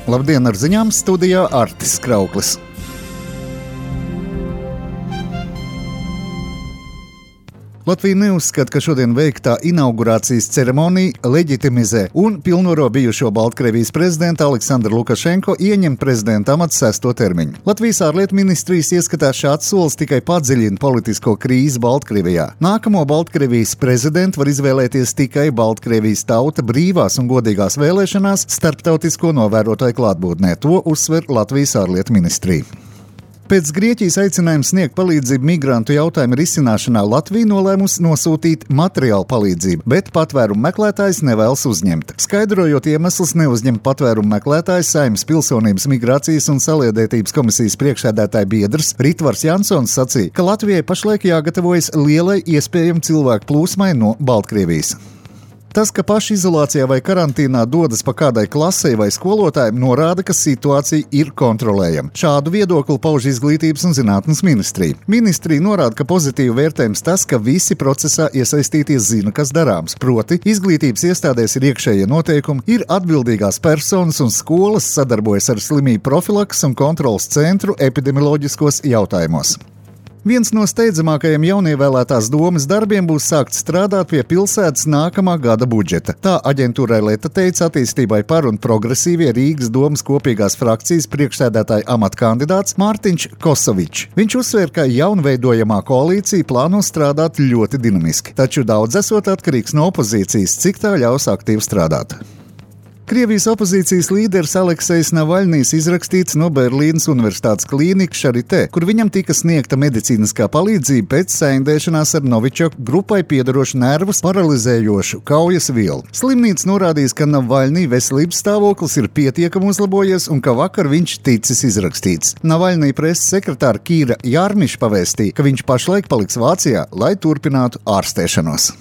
Labdien, ar ziņām studijā Artis Krauklis. Latvija neuzskata, ka šodien veiktā inaugurācijas ceremonija leģitimizē un pilnvaro bijušo Baltkrievijas prezidentu Aleksandru Lukašenko ieņemt prezidenta amatu 6. termiņu. Latvijas ārlietu ministrijas ieskatā šāds solis tikai padziļina politisko krīzi Baltkrievijā. Nākamo Baltkrievijas prezidentu var izvēlēties tikai Baltkrievijas tauta brīvās un godīgās vēlēšanās starptautisko novērotāju klātbūtnē. To uzsver Latvijas ārlietu ministrija. Pēc Grieķijas aicinājuma sniegt palīdzību migrantu jautājumu risināšanā Latvija nolēmusi nosūtīt materiālu palīdzību, bet patvērumu meklētājs nevēlas uzņemt. Skaidrojot iemeslus neuzņemt patvērumu meklētājs, Saeimas Pilsonības, migrācijas un saliedētības komisijas priekšsēdētāja biedrs Ritvars Jansons sacīja, ka Latvijai pašlaik jāgatavojas lielai iespējami cilvēku plūsmai no Baltkrievijas. Tas, ka paši izolācijā vai karantīnā dodas pa kādai klasei vai skolotājiem, norāda, ka situācija ir kontrolējama. Šādu viedokli pauž Izglītības un zinātnes ministrija. Ministrija norāda, ka pozitīvi vērtējums tas, ka visi procesā iesaistītie zina, kas darāms. Proti, izglītības iestādēs ir iekšējie noteikumi, ir atbildīgās personas un skolas sadarbojas ar slimību profilaks un kontrolas centru epidemioloģiskos jautājumos. Viens no steidzamākajiem jaunievēlētās domes darbiem būs sākt strādāt pie pilsētas nākamā gada budžeta. Tā aģentūrai Leta teica attīstībai par un progresīvie Rīgas domes kopīgās frakcijas priekšsēdētāja amata kandidāts Mārtiņš Kosovičs. Viņš uzsver, ka jaunveidojamā koalīcija plāno strādāt ļoti dinamiski, taču daudz esot atkarīgs no opozīcijas, cik tā ļaus aktīvi strādāt. Krievijas opozīcijas līderis Aleksejs Navaļnijs izrakstīts no Berlīnas Universitātes klīnikas Charité, kur viņam tika sniegta medicīniskā palīdzība pēc saindēšanās ar Novičoku grupai piedarošu nervus paralizējošu kaujas vielu. Slimnīca norādījis, ka Navaļnija veselības stāvoklis ir pietiekami uzlabojies un ka vakar viņš ticis izrakstīts. Navaļnija preses sekretāra Kīra Jārmiša pavēstīja, ka viņš pašlaik paliks Vācijā, lai turpinātu ārstēšanos.